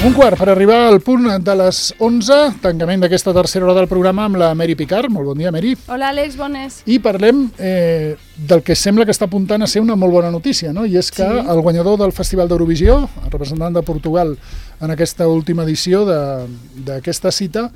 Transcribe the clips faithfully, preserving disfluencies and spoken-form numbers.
Un quart per arribar al punt de les onze, tancament d'aquesta tercera hora del programa amb la Mary Picard. Molt bon dia, Mary. Hola, Àlex, bones. I parlem eh, del que sembla que està apuntant a ser una molt bona notícia, no? I és que sí. El guanyador del Festival d'Eurovisió, el representant de Portugal en aquesta última edició d'aquesta cita,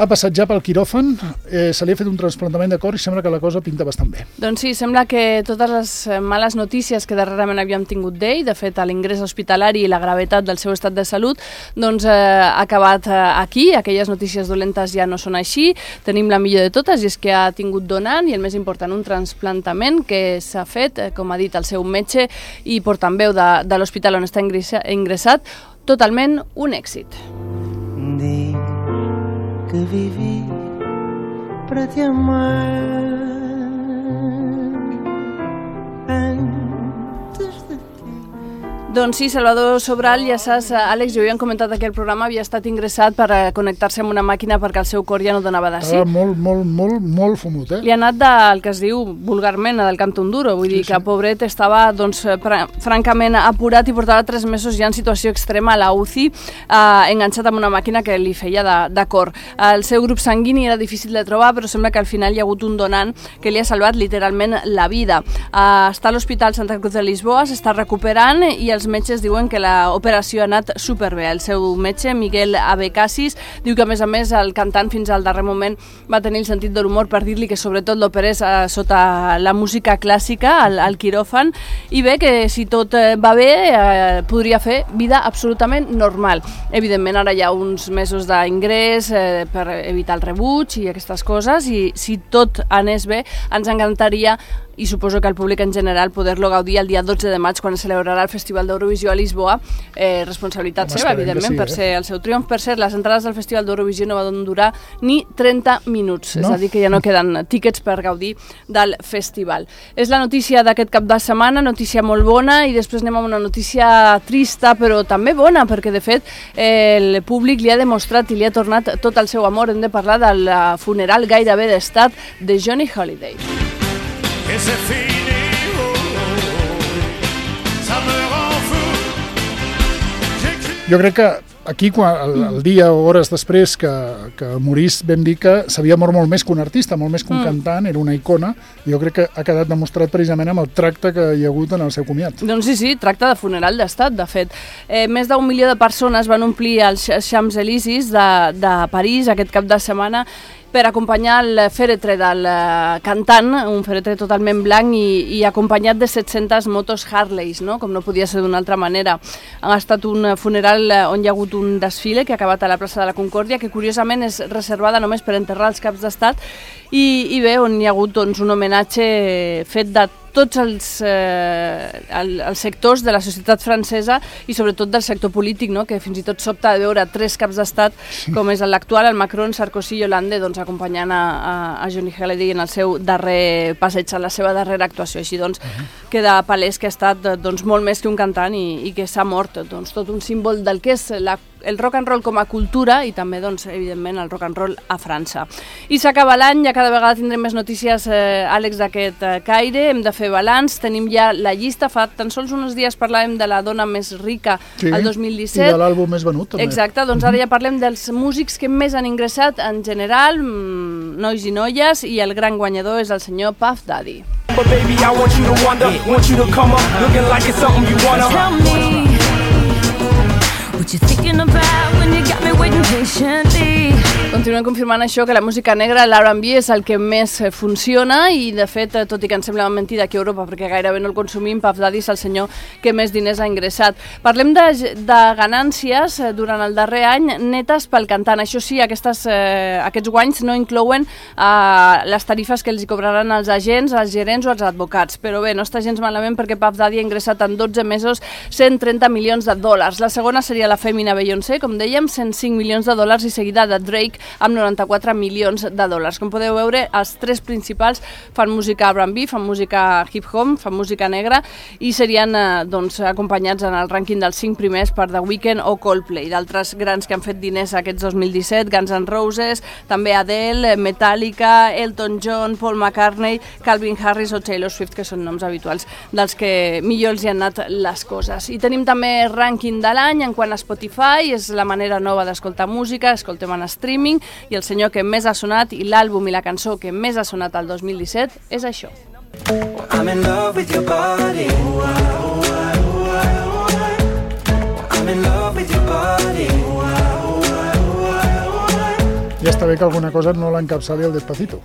ha passat ja pel quiròfan, eh, se li ha fet un trasplantament de cor i sembla que la cosa pinta bastant bé. Doncs sí, sembla que totes les males notícies que darrerament havíem tingut d'ell, de fet l'ingrés hospitalari i la gravetat del seu estat de salut, doncs eh, ha acabat eh, aquí, aquelles notícies dolentes ja no són així, tenim la millor de totes i és que ha tingut donant i el més important, un trasplantament que s'ha fet, eh, com ha dit el seu metge i portaveu de, de l'hospital on està ingressat, totalment un èxit. Dic que viví para te amar antes de ti. Doncs sí, Salvador Sobral, ja saps, Àlex, jo ho havíem comentat aquí al programa, havia estat ingressat per connectar-se amb una màquina perquè el seu cor ja no donava de sí. Estava molt, molt, molt, molt fumut, eh? Li ha anat del que es diu vulgarment del canton duro, vull dir sí, sí. que pobret estava doncs, francament apurat i portava tres mesos ja en situació extrema a la U C I, eh, enganxat amb una màquina que li feia de, de cor. El seu grup sanguini era difícil de trobar, però sembla que al final hi ha hagut un donant que li ha salvat literalment la vida. Eh, està a l'Hospital Santa Cruz de Lisboa, s'està recuperant i els metges diuen que l'operació ha anat superbé. El seu metge, Miguel Abecassis, diu que a més a més el cantant fins al darrer moment va tenir el sentit de l'humor per dir-li que sobretot l'operés eh, sota la música clàssica, al, al quiròfan, i bé que si tot eh, va bé eh, podria fer vida absolutament normal. Evidentment ara hi ha uns mesos d'ingrés eh, per evitar el rebuig i aquestes coses i si tot anés bé ens encantaria i suposo que el públic en general poder-lo gaudir el dia dotze de maig quan es celebrarà el Festival d'Eurovisió a Lisboa, eh, responsabilitat Home, seva, evidentment, sí, per eh? ser el seu triomf. Per cert, les entrades del Festival d'Eurovisió no van durar ni trenta minuts, no? És a dir, que ja no queden tíquets per gaudir del festival. És la notícia d'aquest cap de setmana, notícia molt bona, i després anem a una notícia trista, però també bona, perquè de fet eh, el públic li ha demostrat i li ha tornat tot el seu amor. Hem de parlar del funeral gairebé d'estat de Johnny Hallyday. Et c'est fini, oh, oh, oh, ça me rend fou. Jo crec que aquí, quan, el, el dia o hores després que, que morís, vam dir que s'havia mort molt més que un artista, molt més que un mm. cantant, era una icona, i jo crec que ha quedat demostrat precisament amb el tracte que hi ha hagut en el seu comiat. Doncs sí, sí, tracte de funeral d'estat, de fet. Eh, més d'un milió de persones van omplir els Champs-Élysées de, de París aquest cap de setmana per acompanyar el fèretre del cantant, un fèretre totalment blanc i, i acompanyat de set-centes motos Harleys, no? Com no podia ser d'una altra manera. Ha estat un funeral on hi ha hagut un desfile que ha acabat a la plaça de la Concòrdia, que curiosament és reservada només per enterrar els caps d'estat, i, i bé, on hi ha hagut doncs, un homenatge fet de tots els, eh, el, els sectors de la societat francesa i sobretot del sector polític, no? Que fins i tot sobta de veure tres caps d'estat, sí. Com és l'actual, el Macron, Sarkozy i Hollande, doncs, acompanyant a, a, a Johnny Hallyday en el seu darrer passeig, en la seva darrera actuació. Així doncs, uh-huh. queda palès que ha estat doncs, molt més que un cantant i, i que s'ha mort doncs, tot un símbol del que és la el rock and roll com a cultura i també, doncs, evidentment, el rock and roll a França. I s'acaba l'any, ja cada vegada tindrem més notícies, eh, Àlex, d'aquest eh, caire, hem de fer balanç, tenim ja la llista, fa tan sols uns dies parlàvem de la dona més rica sí, el dos mil disset. I de l'àlbum més venut, també. Exacte, doncs ara ja parlem dels músics que més han ingressat en general, mmm, nois i noies, i el gran guanyador és el senyor Puff Daddy. But baby, I want you to wonder, want you to come up, looking like it's something you wanna. Tell me what you thinking about when you got me waiting patiently. Continuem confirmant això, que la música negra, l'R and B, és el que més funciona i, de fet, tot i que ens sembla mentida aquí a Europa, perquè gairebé no el consumim, Puff Daddy és el senyor que més diners ha ingressat. Parlem de, de ganàncies durant el darrer any netes pel cantant. Això sí, aquestes, eh, aquests guanys no inclouen eh, les tarifes que els hi cobraran els agents, els gerents o els advocats. Però bé, no està gens malament perquè Puff Daddy ha ingressat en dotze mesos cent trenta milions de dòlars. La segona seria la fèmina Beyoncé, com dèiem, cent cinc milions de dòlars, i seguida de Drake, amb noranta-quatre milions de dòlars. Com podeu veure, els tres principals fan música R and B, fan música hip-hop, fan música negra i serien eh, doncs, acompanyats en el rànquing dels cinc primers per The Weeknd o Coldplay. D'altres grans que han fet diners aquests dos mil disset, Guns N' Roses, també Adele, Metallica, Elton John, Paul McCartney, Calvin Harris o Taylor Swift, que són noms habituals dels que millor els hi han anat les coses. I tenim també rànquing de l'any en quant a Spotify, és la manera nova d'escoltar música, escoltem en streaming, i el senyor que més ha sonat i l'àlbum i la cançó que més ha sonat el dos mil disset és això. I'm in love with your body. I'm in love with your body. Ja està bé que alguna cosa no l'encapçali el Despacito.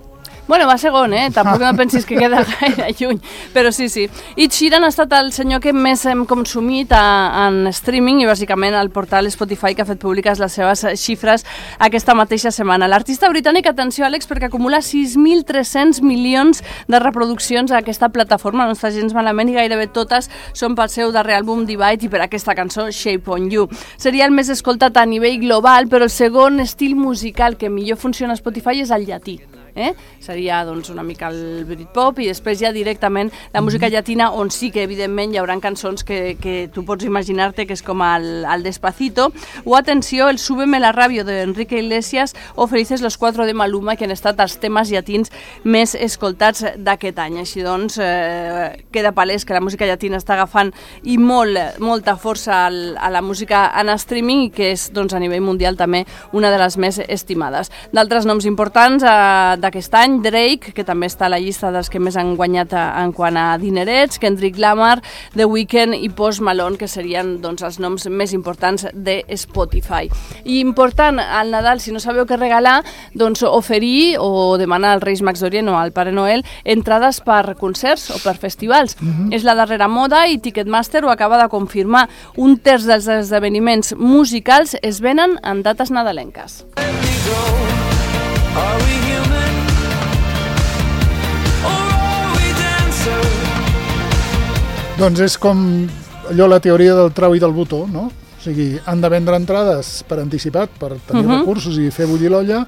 Bueno, va segon, eh? Tampoc no pensis que queda gaire lluny, però sí, sí. Ed Sheeran ha estat el senyor que més hem consumit a, en streaming i bàsicament al portal Spotify que ha fet públiques les seves xifres aquesta mateixa setmana. L'artista britànic, atenció Àlex, perquè acumula sis mil tres-cents milions de reproduccions a aquesta plataforma, no està gens malament i gairebé totes són pel seu darrer àlbum Divide i per aquesta cançó Shape on You. Seria el més escoltat a nivell global, però el segon estil musical que millor funciona a Spotify és el llatí. Eh? Seria doncs, una mica el Britpop i després ja directament la música llatina, on sí que evidentment hi haurà cançons que, que tu pots imaginar-te que és com el, el Despacito, o atenció, el Súbeme la radio de Enrique Iglesias o Felices los cuatro de Maluma, que han estat els temes llatins més escoltats d'aquest any. Així doncs, eh, queda palès que la música llatina està agafant i molt, molta força al, a la música en streaming i que és doncs, a nivell mundial també una de les més estimades. D'altres noms importants eh, d'aquest any, Drake, que també està a la llista dels que més han guanyat en quant a dinerets, Kendrick Lamar, The Weeknd i Post Malone, que serien doncs, els noms més importants de Spotify. I important, al Nadal, si no sabeu què regalar, doncs oferir o demanar als Reis Mags d'Orient o al Pare Noel entrades per concerts o per festivals. Uh-huh. És la darrera moda i Ticketmaster ho acaba de confirmar. Un terç dels esdeveniments musicals es venen en dates nadalenques. Are we human? Doncs és com allò la teoria del trau i del botó, no? O sigui, han de vendre entrades per anticipat, per tenir uh-huh. recursos i fer bullir l'olla,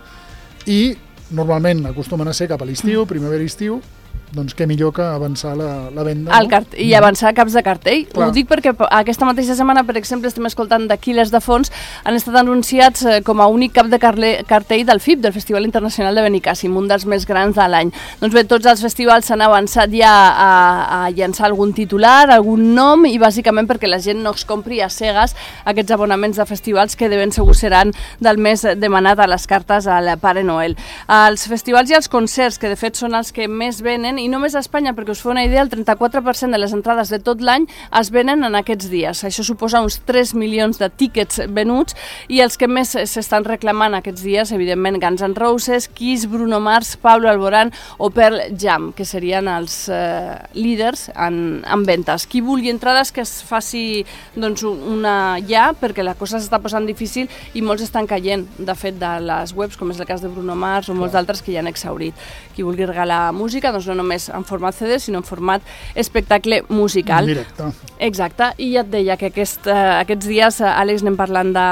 i normalment acostumen a ser cap a l'estiu, primavera-estiu, doncs què millor que avançar la, la venda, no? Cart- I avançar caps de cartell. Clar. Ho dic perquè aquesta mateixa setmana, per exemple, estem escoltant d'Aquiles de Fons, han estat anunciats com a únic cap de cartell del F I B, del Festival Internacional de Benicàssim, un dels més grans de l'any. Doncs bé, tots els festivals s'han avançat ja a, a llançar algun titular, algun nom, i bàsicament perquè la gent no es compri a cegues aquests abonaments de festivals que de ben segur seran del més demanat a les cartes al Pare Noel. Els festivals i els concerts, que de fet són els que més venen, i només a Espanya, perquè us feu una idea, el trenta-quatre per cent de les entrades de tot l'any es venen en aquests dies. Això suposa uns tres milions de tíquets venuts, i els que més s'estan reclamant aquests dies, evidentment, Guns N' Roses, Kiss, Bruno Mars, Pablo Alborán o Pearl Jam, que serien els eh, líders en, en ventes. Qui vulgui entrades que es faci doncs, una ja, perquè la cosa s'està posant difícil i molts estan caient, de fet, de les webs, com és el cas de Bruno Mars o molts d'altres que ja han exhaurit. Qui vulgui regalar música, doncs no només en format C D, sinó en format espectacle musical. Directe. Exacte, i ja et deia que aquest, uh, aquests dies, uh, Àlex, anem parlant de,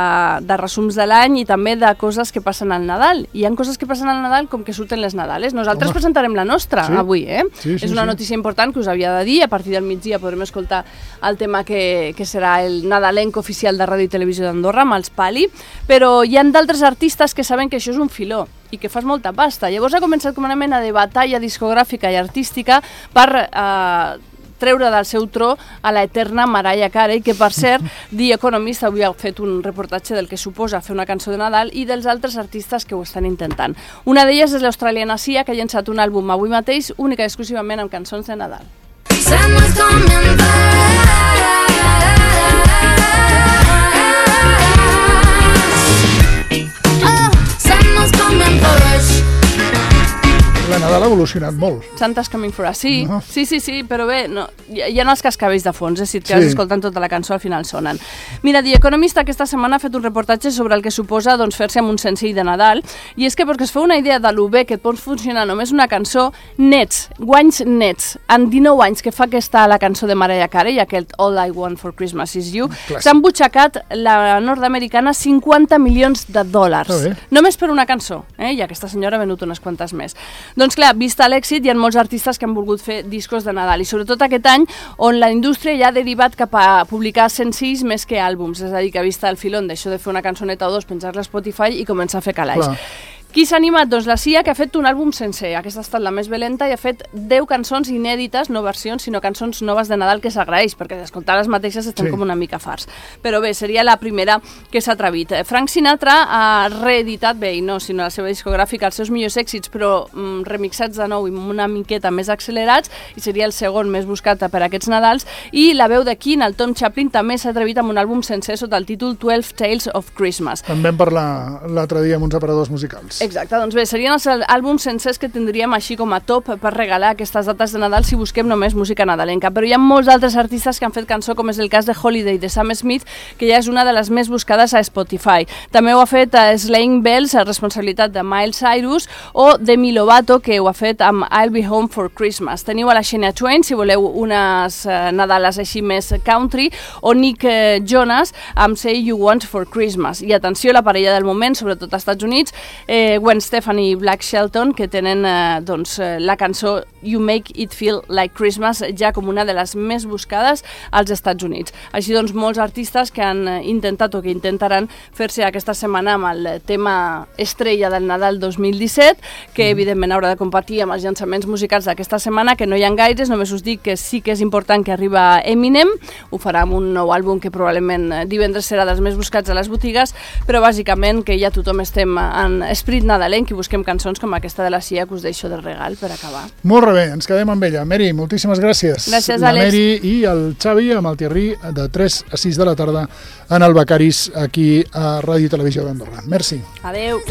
de resums de l'any i també de coses que passen al Nadal. Hi ha coses que passen al Nadal com que surten les Nadales. Nosaltres Home. presentarem la nostra sí. avui, eh? Sí, sí, És una sí. notícia important que us havia de dir. A partir del migdia podrem escoltar el tema que, que serà el nadalenc oficial de Ràdio i Televisió d'Andorra, amb els Pali, però hi ha d'altres artistes que saben que això és un filó i que fas molta pasta. Llavors ha començat com una mena de batalla discogràfica i artística per eh, treure del seu tro a la eterna Mariah Carey, que per cert, The Economist avui ha fet un reportatge del que suposa fer una cançó de Nadal i dels altres artistes que ho estan intentant. Una d'elles és l'australiana Sia, que ha llançat un àlbum avui mateix, única i exclusivament amb cançons de Nadal. de Nadal ha evolucionat molt. Santa's Coming for Us, sí, No. sí, sí, sí, però bé, no, hi, hi ha els cascavells de fons, eh, si et quedes Sí. escoltant tota la cançó al final sonen. Mira, The Economist aquesta setmana ha fet un reportatge sobre el que suposa doncs, fer-se amb un senzill de Nadal, i és que perquè es feu una idea de lo bé que et pot funcionar només una cançó, nets, guanys nets, en dinou anys que fa que està la cançó de Mariah Carey, aquest All I Want for Christmas Is You, Clàssic. s'han butxacat la nord-americana cinquanta milions de dòlars, Està bé. només per una cançó, eh? I aquesta senyora ha venut unes quantes més. Doncs clar, vista l'èxit, hi ha molts artistes que han volgut fer discos de Nadal, i sobretot aquest any on la indústria ja ha derivat cap a publicar senzills més que àlbums, és a dir, que ha vist el filon d'això de fer una cançoneta o dos, penjar-la a Spotify i començar a fer calaix. Clar. Qui s'ha animat? Doncs la C I A, que ha fet un àlbum sencer. Aquesta ha estat la més valenta i ha fet deu cançons inèdites, no versions, sinó cançons noves de Nadal, que s'agraeix, perquè d'escoltar les mateixes estem Sí. com una mica farts. Però bé, seria la primera que s'ha atrevit. Frank Sinatra ha reeditat, bé, i no, sinó la seva discogràfica, els seus millors èxits, però mm, remixats de nou i una miqueta més accelerats, i seria el segon més buscat per aquests Nadals. I la veu de King, el Tom Chaplin, també s'ha atrevit amb un àlbum sencer sota el títol twelve Tales of Christmas. En vam parlar l'altre dia amb uns aparadors musicals. Exacte, doncs bé, serien els àlbums sencers que tindríem així com a top per regalar aquestes dates de Nadal si busquem només música nadalenca, però hi ha molts altres artistes que han fet cançó, com és el cas de Holiday de Sam Smith, que ja és una de les més buscades a Spotify. També ho ha fet a Slaying Bells, a responsabilitat de Miles Cyrus, o Demi Lovato, que ho ha fet amb I'll Be Home for Christmas. Teniu a la Shania Twain, si voleu unes eh, Nadales així més country, o Nick eh, Jonas amb Say You Want for Christmas. I atenció, la parella del moment, sobretot als Estats Units, eh, Gwen Stefani i Black Shelton, que tenen eh, doncs, eh, la cançó You Make It Feel Like Christmas ja com una de les més buscades als Estats Units. Així doncs, molts artistes que han eh, intentat o que intentaran fer-se aquesta setmana amb el tema estrella del Nadal dos mil disset, que evidentment haurà de competir amb els llançaments musicals d'aquesta setmana, que no hi ha gaires, només us dic que sí que és important que arriba Eminem, ho farà amb un nou àlbum que probablement eh, divendres serà dels més buscats a les botigues, però bàsicament que ja tothom estem en esprit nadalenc i busquem cançons com aquesta de la C I A que us deixo de regal per acabar. Molt bé, ens quedem amb ella. Mary, moltíssimes gràcies. Gràcies, la Àlex. Mary i el Xavi amb el Thierry de tres a sis de la tarda en el Becaris aquí a Ràdio i Televisió d'Andorra. Merci. Adeu.